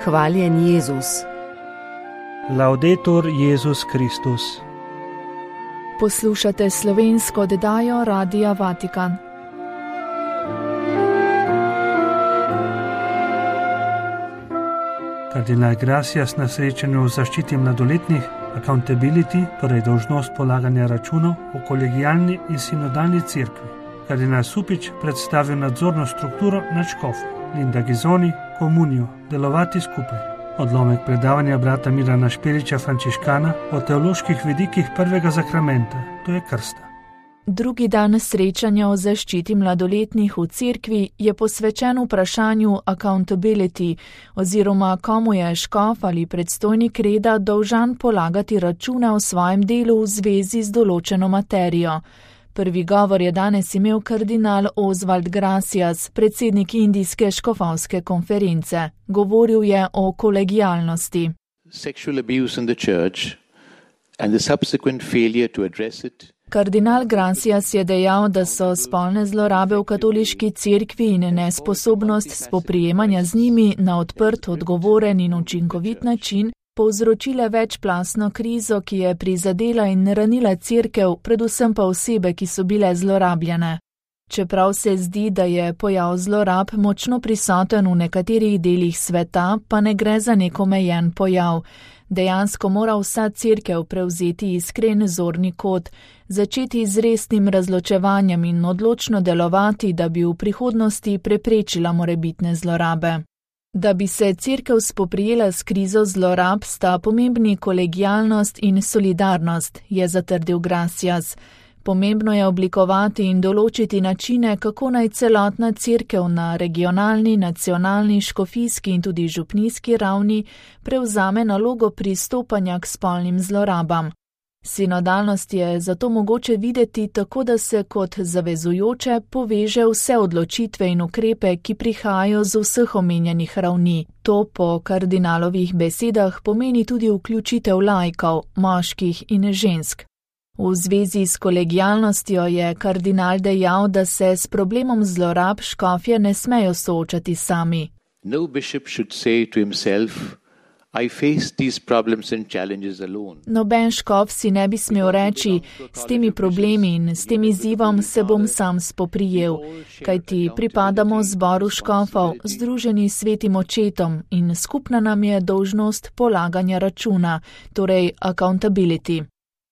Hvaljen Jezus. Laudetur Jezus Kristus. Poslušate slovensko oddajo Radia Vatikan. Kardinal Gracias na srečanju o zaščiti mladoletnih, accountability, torej dolžnost polaganja računov o kolegijalni in sinodalni cerkvi. Kardinal Supič predstavil nadzorno strukturo nad škofi, Linda Gizoni, komunijo, delovati skupaj. Odlomek predavanja brata Mirana Špeliča Frančiškana o teoloških vidikih prvega zakramenta, to je krsta. Drugi dan srečanja o zaščiti mladoletnih v cerkvi je posvečen vprašanju accountability, oziroma komu je škof ali predstojnik reda dolžan polagati račune o svojem delu v zvezi z določeno materijo. Prvi govor je danes imel kardinal Oswald Gracias, predsednik Indijske škofovske konference. Govoril je o kolegijalnosti. Sexual abuse in the church and the subsequent failure to address it. Kardinal Gracias je dejal, da so spolne zlorabe v katoliški cerkvi in nesposobnost spoprijemanja z njimi na odprt, odgovoren in učinkovit način povzročile večplastno krizo, ki je prizadela in ranila cerkev, predvsem pa osebe, ki so bile zlorabljene. Čeprav se zdi, da je pojav zlorab močno prisoten v nekaterih delih sveta, pa ne gre za nek omejen pojav. Dejansko mora vsa cerkev prevzeti iskren zorni kot, začeti z resnim razločevanjem in odločno delovati, da bi v prihodnosti preprečila morebitne zlorabe. Da bi se cerkev spoprijela s krizo zlorab, sta pomembni kolegijalnost in solidarnost, je zatrdil Gracias. Pomembno je oblikovati in določiti načine, kako naj celotna cerkev na regionalni, nacionalni, škofijski in tudi župnijski ravni prevzame nalogo pristopanja k spolnim zlorabam. Sinodalnost je zato mogoče videti tako, da se kot zavezujoče poveže vse odločitve in ukrepe, ki prihajajo z vseh omenjenih ravni. To po kardinalovih besedah pomeni tudi vključitev laikov, moških in žensk. V zvezi s kolegijalnostjo je kardinal dejal, da se s problemom zlorab škofje ne smejo soočati sami. No bishop should say to himself, I face these problems and challenges alone. Noben škof si ne bi smel reči, s temi problemi in s tem izzivom se bom sam spoprijel, kajti pripadamo zboru škofov, združeni s svetim očetom in skupna nam je dolžnost polaganja računa, torej accountability.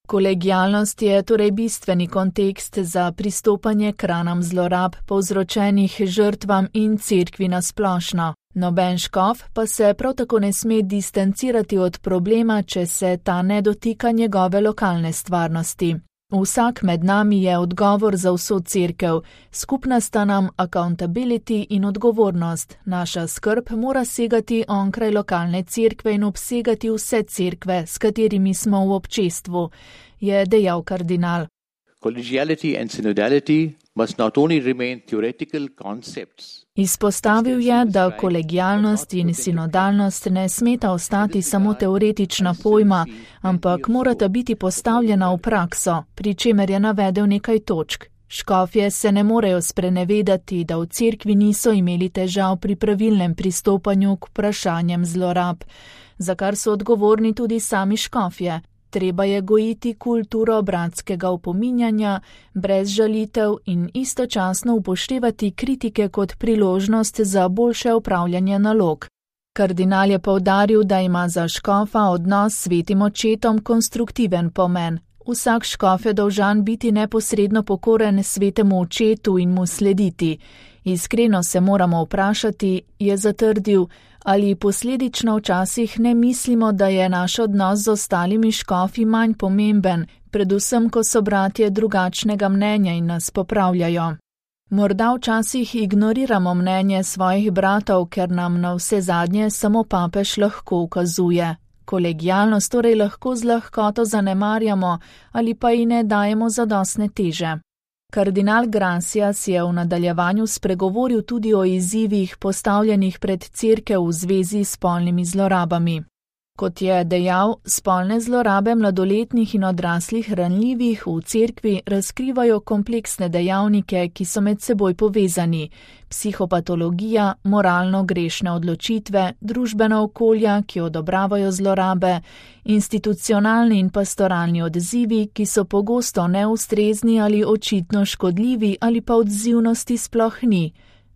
Kolegijalnost je torej bistveni kontekst za pristopanje k ranam zlorab, povzročenih žrtvam in cerkvi na splošno. Noben škof pa se prav tako ne sme distancirati od problema, če se ta ne dotika njegove lokalne stvarnosti. Vsak med nami je odgovor za vso cerkev, skupna sta nam accountability in odgovornost. Naša skrb mora segati onkraj lokalne cerkve in obsegati vse cerkve, s katerimi smo v občestvu, je dejal kardinal. Collegiality and synodality must not only remain theoretical concepts. Izpostavil je, da kolegijalnost in sinodalnost ne smeta ostati samo teoretična pojma, ampak morata biti postavljena v prakso, pri čemer je navedel nekaj točk. Škofje se ne morejo sprenevedati, da v cerkvi niso imeli težav pri pravilnem pristopanju k vprašanjem zlorab, za kar so odgovorni tudi sami škofje. Treba je gojiti kulturo bratskega opominjanja, brez žalitev in istočasno upoštevati kritike kot priložnost za boljše upravljanje nalog. Kardinal je poudaril, da ima za škofa odnos s svetim očetom konstruktiven pomen. Vsak škof je dolžan biti neposredno pokoren svetemu očetu in mu slediti. Iskreno se moramo vprašati, je zatrdil, ali posledično včasih ne mislimo, da je naš odnos z ostalimi škofi manj pomemben, predvsem ko so bratje drugačnega mnenja in nas popravljajo. Morda včasih ignoriramo mnenje svojih bratov, ker nam na vse zadnje samo papež lahko ukazuje. Kolegijalnost torej lahko z lahkoto zanemarjamo ali pa ji ne dajemo zadostne teže. Kardinal Gracias je v nadaljevanju spregovoril tudi o izzivih postavljenih pred cerkev v zvezi s spolnimi zlorabami. Kot je dejal, spolne zlorabe mladoletnih in odraslih ranljivih v cerkvi razkrivajo kompleksne dejavnike, ki so med seboj povezani: psihopatologija, moralno grešne odločitve, družbena okolja, ki odobravajo zlorabe, institucionalni in pastoralni odzivi, ki so pogosto neustrezni ali očitno škodljivi ali pa odzivnosti sploh ni.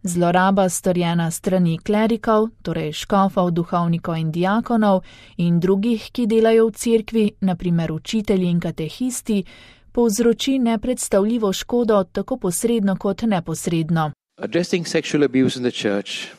Zloraba storjena strani klerikov, torej škofov, duhovnikov in diakonov in drugih, ki delajo v cerkvi, na primer učitelji in katehisti, povzroči nepredstavljivo škodo tako posredno kot neposredno. Addressing sexual abuse in the church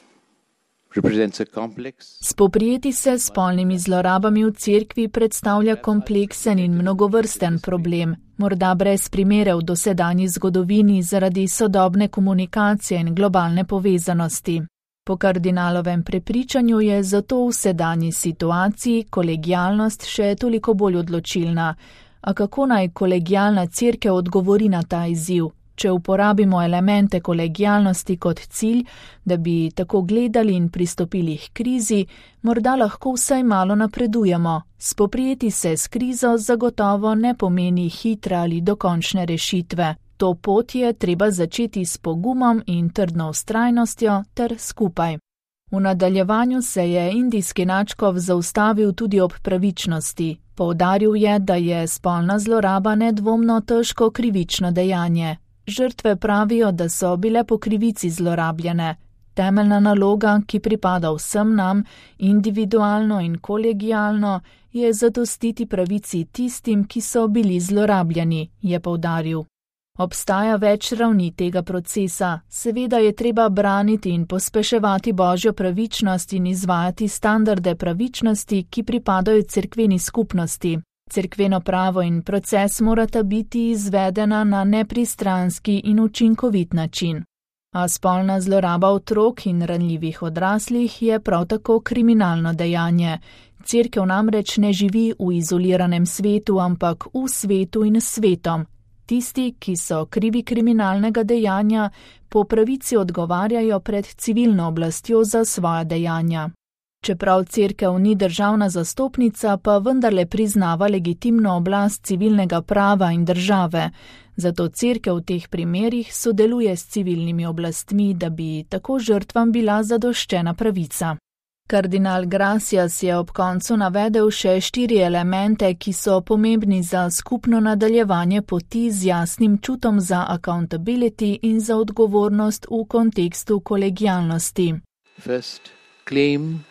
represents a complex. Spoprijeti se s spolnimi zlorabami v cerkvi predstavlja kompleksen in mnogovrsten problem, morda brez primere v dosedanji zgodovini zaradi sodobne komunikacije in globalne povezanosti. Po kardinalovem prepričanju je zato v sedanji situaciji kolegialnost še toliko bolj odločilna. A kako naj kolegialna cerkev odgovori na ta izziv? Če uporabimo elemente kolegialnosti kot cilj, da bi tako gledali in pristopili k krizi, morda lahko vsaj malo napredujemo. Spoprijeti se s krizo zagotovo ne pomeni hitre ali dokončne rešitve. To pot je treba začeti s pogumom in trdno vztrajnostjo ter skupaj. V nadaljevanju se je indijski nadškof zaustavil tudi ob pravičnosti. Poudaril je, da je spolna zloraba nedvomno težko krivično dejanje. Žrtve pravijo, da so bile po krivici zlorabljene. Temeljna naloga, ki pripada vsem nam, individualno in kolegialno, je zadostiti pravici tistim, ki so bili zlorabljeni, je poudaril. Obstaja več ravni tega procesa. Seveda je treba braniti in pospeševati božjo pravičnost in izvajati standarde pravičnosti, ki pripadajo cerkveni skupnosti. Cerkveno pravo in proces morata biti izvedena na nepristranski in učinkovit način. A spolna zloraba otrok in ranljivih odraslih je prav tako kriminalno dejanje. Cerkev namreč ne živi v izoliranem svetu, ampak v svetu in s svetom. Tisti, ki so krivi kriminalnega dejanja, po pravici odgovarjajo pred civilno oblastjo za svoja dejanja. Čeprav cerkev ni državna zastopnica, pa vendarle priznava legitimno oblast civilnega prava in države. Zato cerkev v teh primerih sodeluje s civilnimi oblastmi, da bi tako žrtvam bila zadoščena pravica. Kardinal Gracias je ob koncu navedel še 4 elemente, ki so pomembni za skupno nadaljevanje poti z jasnim čutom za accountability in za odgovornost v kontekstu kolegialnosti. First, claim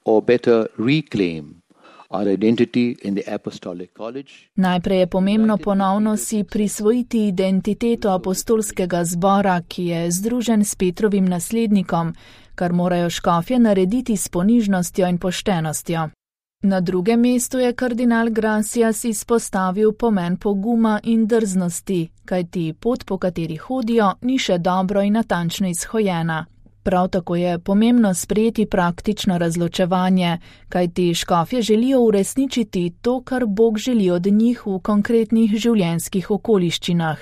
or better reclaim our identity in the Apostolic College. Najprej je pomembno ponovno si prisvojiti identiteto apostolskega zbora, ki je združen s Petrovim naslednikom, kar morajo škofje narediti s ponižnostjo in poštenostjo. Na drugem mestu je kardinal Gracias izpostavil pomen poguma in drznosti, kajti pot, po kateri hodijo, ni še dobro in natančno izhojena. Prav tako je pomembno sprejeti praktično razločevanje, kajti škofje želijo uresničiti to, kar Bog želi od njih v konkretnih življenjskih okoliščinah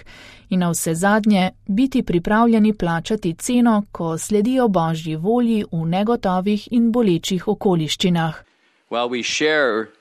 in navsezadnje biti pripravljeni plačati ceno, ko sledijo Božji volji v negotovih in bolečih okoliščinah. While we share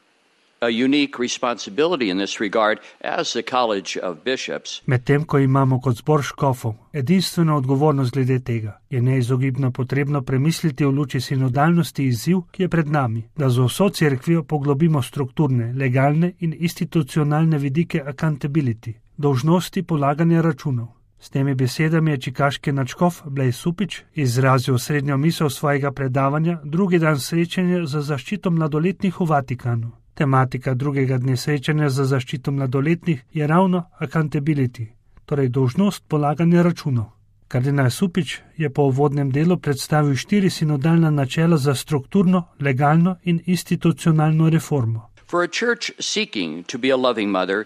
a unique responsibility in this regard as the College of Bishops. Medtem ko imamo kot zbor škofov edinstveno odgovornost glede tega, je neizogibno potrebno premisliti v luči sinodalnosti izziv, ki je pred nami, da z vso cerkvijo poglobimo strukturne, legalne in institucionalne vidike accountability, dolžnosti polaganja računov. S temi besedami je čikaški nadškof Blaise Supič izrazil srednjo misel svojega predavanja drugi dan srečanja za zaščito mladoletnih v Vatikanu. Tematika drugega dne srečanja za zaščito mladoletnih je ravno accountability, torej dolžnost polaganja računov. Kardinal Supič je po uvodnem delu predstavil 4 sinodalna načela za strukturno, legalno in institucionalno reformo. For a church seeking to be a loving mother,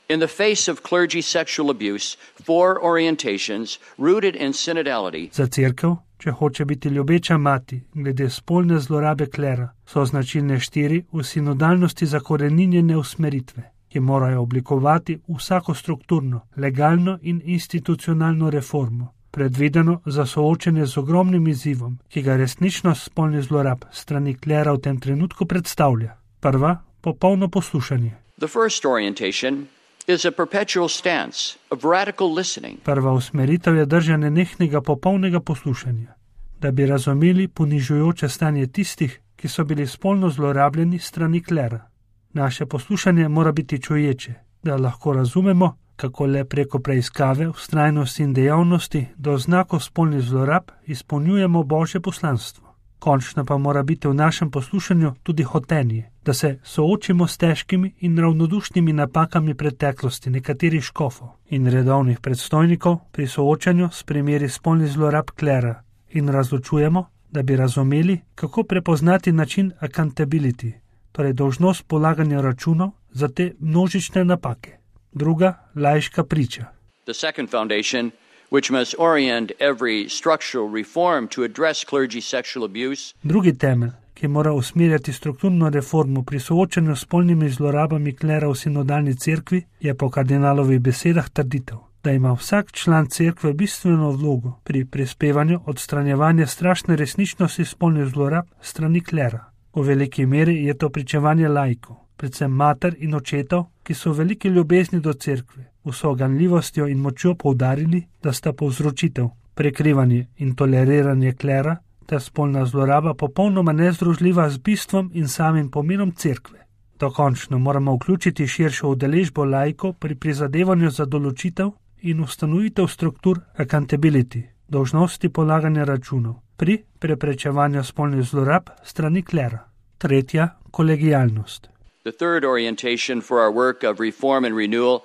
in the face of clergy sexual abuse, 4 orientations rooted in synodality. Za cerkev, če hoče biti ljubeča mati glede spolne zlorabe klera, so značilne 4 v sinodalnosti zakoreninjene usmeritve, ki morajo oblikovati vsako strukturno, legalno in institucionalno reformo, predvideno za soočenje z ogromnim izzivom, ki ga resničnost spolnih zlorab strani klera v tem trenutku predstavlja. Prva, popolno poslušanje. The first orientation is a perpetual stance of radical listening. Prva usmeritev je držanje nehnega popolnega poslušanja, da bi razumeli ponižujoče stanje tistih, ki so bili spolno zlorabljeni strani klera. Naše poslušanje mora biti čuječe, da lahko razumemo, kako le preko preiskave, vztrajnosti in dejavnosti do znakov spolnih zlorab izpolnjujemo Božje poslanstvo. Končno pa mora biti v našem poslušanju tudi hotenje, da se soočimo s težkimi in ravnodušnimi napakami preteklosti nekaterih škofov in redovnih predstojnikov pri soočanju s primeri spolnih zlorab klera in razločujemo, da bi razumeli, kako prepoznati način accountability, torej dolžnost polaganja računov za te množične napake. Druga, laiška priča. The second foundation, which must orient every structural reform to address clergy sexual abuse. Drugi temelj, ki mora usmerjati strukturno reformo pri soočanju s spolnimi zlorabami klera v sinodalni cerkvi, je po kardinalovih besedah trditev, da ima vsak član cerkve bistveno vlogo pri prispevanju odstranjevanja strašne resničnosti spolnih zlorab strani klera. V veliki meri je to pričevanje laikov, predvsem mater in očetov, ki so v veliki ljubezni do cerkve, vso ganljivostjo in močjo poudarili, da sta povzročitev, prekrivanje in toleriranje klera ter spolna zloraba popolnoma nezdružljiva z bistvom in samim pomenom cerkve. Dokončno moramo vključiti širšo udeležbo laikov pri prizadevanju za določitev in ustanovitev struktur accountability, dolžnosti polaganja računov, pri preprečevanju spolnih zlorab strani klera. Tretja, kolegialnost. The third orientation for our work of reform and renewal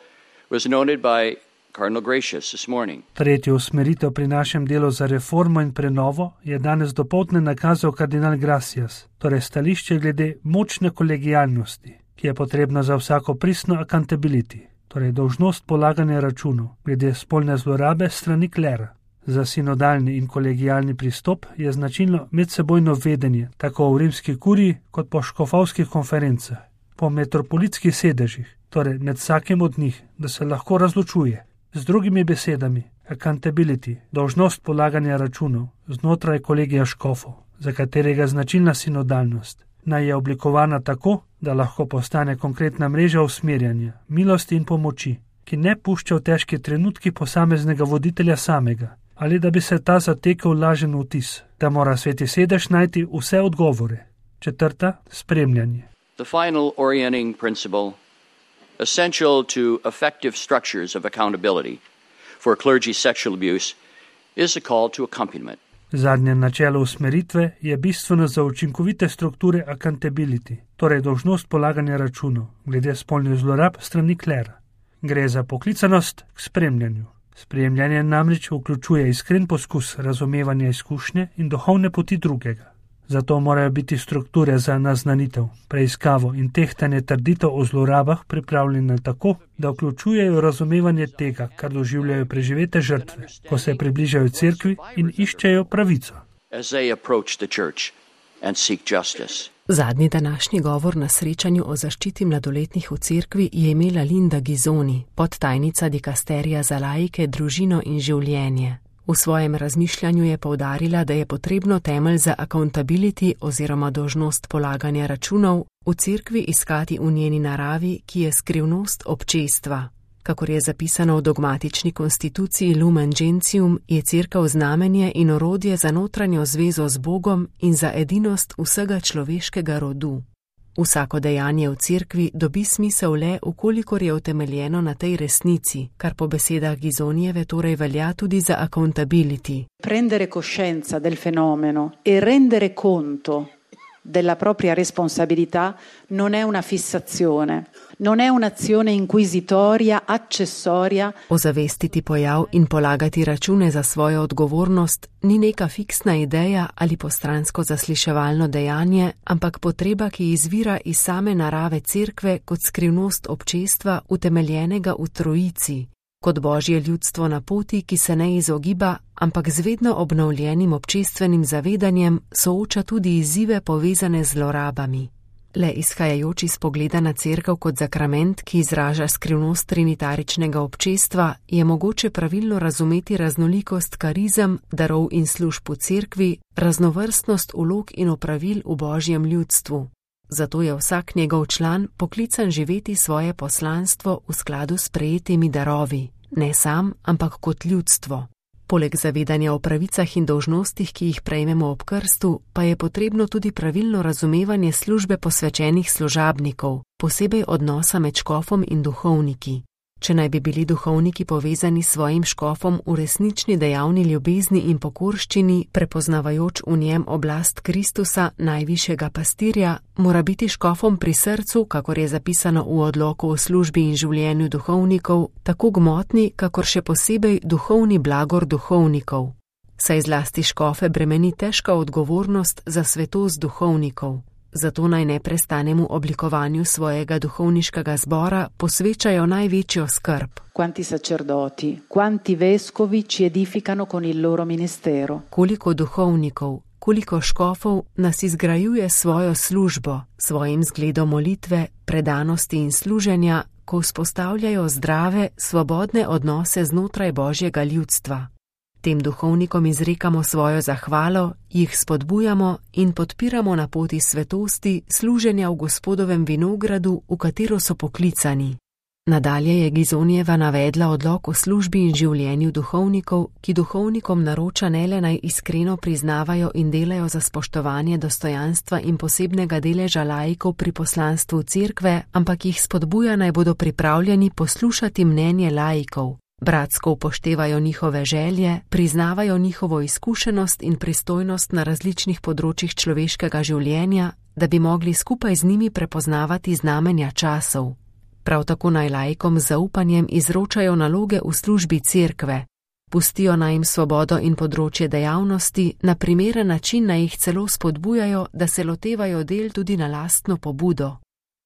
was noted by Cardinal Gracious this morning. Tretjo usmeritev pri našem delu za reformo in prenovo je danes dopoldne nakazal kardinal Gracias, torej stališče glede močne kolegialnosti, ki je potrebna za vsako pristno accountability, torej dolžnost polaganja računov glede spolne zlorabe strani klera. Za sinodalni in kolegialni pristop je značilno medsebojno vedenje, tako v rimski kuriji kot po škofovskih konferencah, po metropolitskih sedežih, torej med vsakim od njih, da se lahko razločuje. Z drugimi besedami, accountability, dolžnost polaganja računov znotraj kolegija škofov, za katerega značilna sinodalnost, naj je oblikovana tako, da lahko postane konkretna mreža usmerjanja, milosti in pomoči, ki ne pušča v težki trenutki posameznega voditelja samega, ali da bi se ta zatekel lažen vtis, da mora sveti sedež najti vse odgovore. Četrta, spremljanje. The final orienting principle, essential to effective structures of accountability for clergy sexual abuse, is a call to accompaniment. Zadnje načelo usmeritve je bistveno za učinkovite strukture accountability, torej dolžnost polaganja računov glede spolnih zlorab strani klera. Gre za poklicanost k spremljanju. Spremljanje namreč vključuje iskren poskus razumevanja izkušnje in duhovne poti drugega. Zato morajo biti strukture za naznanitev, preiskavo in tehtanje trditev o zlorabah pripravljene tako, da vključujejo razumevanje tega, kar doživljajo preživete žrtve, ko se približajo cerkvi in iščejo pravico. Zadnji današnji govor na srečanju o zaščiti mladoletnih v cerkvi je imela Linda Gizoni, podtajnica dikasterija za laike, družino in življenje. V svojem razmišljanju je poudarila, da je potrebno temelj za accountability oziroma dolžnost polaganja računov v cerkvi iskati v njeni naravi, ki je skrivnost občestva. Kakor je zapisano v dogmatični konstituciji Lumen Gentium, je cerkev znamenje in orodje za notranjo zvezo z Bogom in za edinost vsega človeškega rodu. Vsako dejanje v cerkvi dobi smisel le, ukolikor je utemeljeno na tej resnici, kar po besedah Gizonijeve torej velja tudi za accountability. Prendere coscienza del fenomeno e rendere conto della propria responsabilità non è una fissazione, non è un'azione inquisitoria, accessoria. Ozavestiti pojav in polagati račune za svojo odgovornost ni neka fiksna ideja ali postransko zasliševalno dejanje, ampak potreba, ki izvira iz same narave cerkve kot skrivnost občestva utemeljenega v trojici, kot Božje ljudstvo na poti, ki se ne izogiba, ampak z vedno obnovljenim občestvenim zavedanjem sooča tudi izzive povezane z zlorabami. le izhajajoč iz pogleda na cerkev kot zakrament, ki izraža skrivnost trinitaričnega občestva, je mogoče pravilno razumeti raznolikost karizem, darov in služb v cerkvi, raznovrstnost vlog in opravil v božjem ljudstvu. Zato je vsak njegov član poklican živeti svoje poslanstvo v skladu s prejetimi darovi, ne sam, ampak kot ljudstvo. Poleg zavedanja o pravicah in dolžnostih, ki jih prejmemo ob krstu, pa je potrebno tudi pravilno razumevanje službe posvečenih služabnikov, posebej odnosa med škofom in duhovniki. Če naj bi bili duhovniki povezani s svojim škofom v resnični dejavni ljubezni in pokorščini, prepoznavajoč v njem oblast Kristusa, najvišjega pastirja, mora biti škofom pri srcu, kakor je zapisano v odloku o službi in življenju duhovnikov, tako gmotni, kakor še posebej duhovni blagor duhovnikov. Saj zlasti škofe bremeni težka odgovornost za svetost duhovnikov. Zato naj neprestanemu oblikovanju svojega duhovniškega zbora posvečajo največjo skrb. Quanti sacerdoti, quanti vescovi ci edificano con il loro ministero. Koliko duhovnikov, koliko škofov nas izgrajuje svojo službo, svojim zgledom molitve, predanosti in služenja, ko vzpostavljajo zdrave, svobodne odnose znotraj božjega ljudstva. Tem duhovnikom izrekamo svojo zahvalo, jih spodbujamo in podpiramo na poti svetosti, služenja v Gospodovem vinogradu, v katero so poklicani. Nadalje je Gizonijeva navedla odlok o službi in življenju duhovnikov, ki duhovnikom naroča ne le naj iskreno priznavajo in delajo za spoštovanje dostojanstva in posebnega deleža laikov pri poslanstvu cerkve, ampak jih spodbuja naj bodo pripravljeni poslušati mnenje laikov. Bratsko upoštevajo njihove želje, priznavajo njihovo izkušenost in pristojnost na različnih področjih človeškega življenja, da bi mogli skupaj z njimi prepoznavati znamenja časov. Prav tako naj laikom z zaupanjem izročajo naloge v službi cerkve, pustijo naj jim svobodo in področje dejavnosti, na primeren način naj jih celo spodbujajo, da se lotevajo del tudi na lastno pobudo.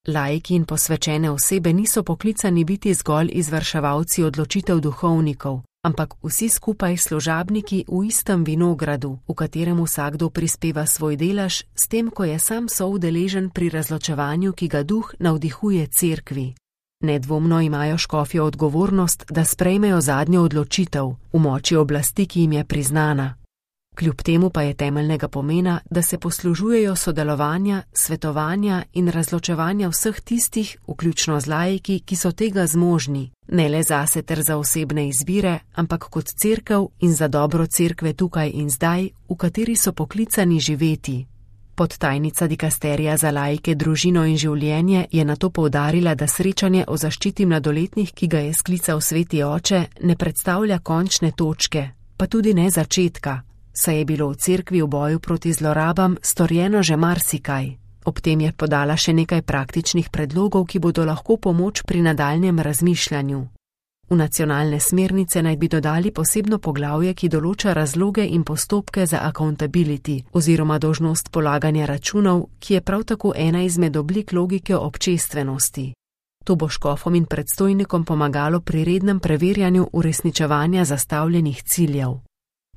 Laiki in posvečene osebe niso poklicani biti zgolj izvrševalci odločitev duhovnikov, ampak vsi skupaj služabniki v istem vinogradu, v katerem vsakdo prispeva svoj delež, s tem, ko je sam soudeležen pri razločevanju, ki ga duh navdihuje cerkvi. Nedvomno imajo škofje odgovornost, da sprejmejo zadnjo odločitev v moči oblasti, ki jim je priznana. Kljub temu pa je temeljnega pomena, da se poslužujejo sodelovanja, svetovanja in razločevanja vseh tistih, vključno z laiki, ki so tega zmožni, ne le zase ter za osebne izbire, ampak kot cerkev in za dobro cerkve tukaj in zdaj, v kateri so poklicani živeti. Podtajnica dikasterija za laike, družino in življenje je nato poudarila, da srečanje o zaščiti mladoletnih, ki ga je sklical Sveti Oče, ne predstavlja končne točke, pa tudi ne začetka. Saj je bilo v cerkvi v boju proti zlorabam storjeno že marsikaj. Ob tem je podala še nekaj praktičnih predlogov, ki bodo lahko pomoč pri nadaljnjem razmišljanju. V nacionalne smernice naj bi dodali posebno poglavje, ki določa razloge in postopke za accountability oziroma dolžnost polaganja računov, ki je prav tako ena izmed oblik logike občestvenosti. To bo škofom in predstojnikom pomagalo pri rednem preverjanju uresničevanja zastavljenih ciljev.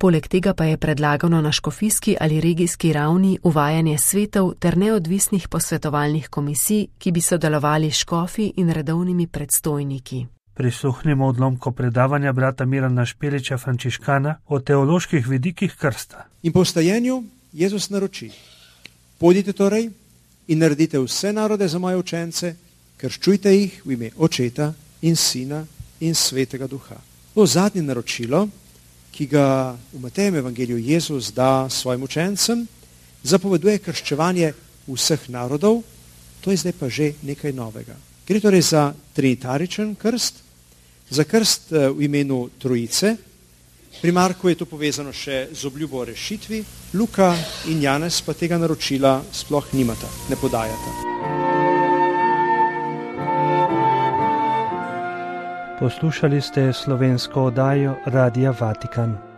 Poleg tega pa je predlagano na škofijski ali regijski ravni uvajanje svetov ter neodvisnih posvetovalnih komisij, ki bi sodelovali s škofi in redovnimi predstojniki. Prisluhnimo odlomko predavanja brata Mirana Špeliča Frančiškana o teoloških vidikih krsta. In po vstajenju Jezus naroči: Pojdite torej in naredite vse narode za moje učence, krščujte jih v ime Očeta in Sina in Svetega Duha. To zadnje naročilo, ki ga v Matejem evangeliju Jezus da svojim učencem, zapoveduje krščevanje vseh narodov, to je zdaj pa že nekaj novega. Gre torej za trinitaričen krst, za krst v imenu Trojice. Pri Marku je to povezano še z obljubo o rešitvi, Luka in Janez pa tega naročila sploh nimata, ne podajata. Poslušali ste slovensko oddajo Radia Vatikan.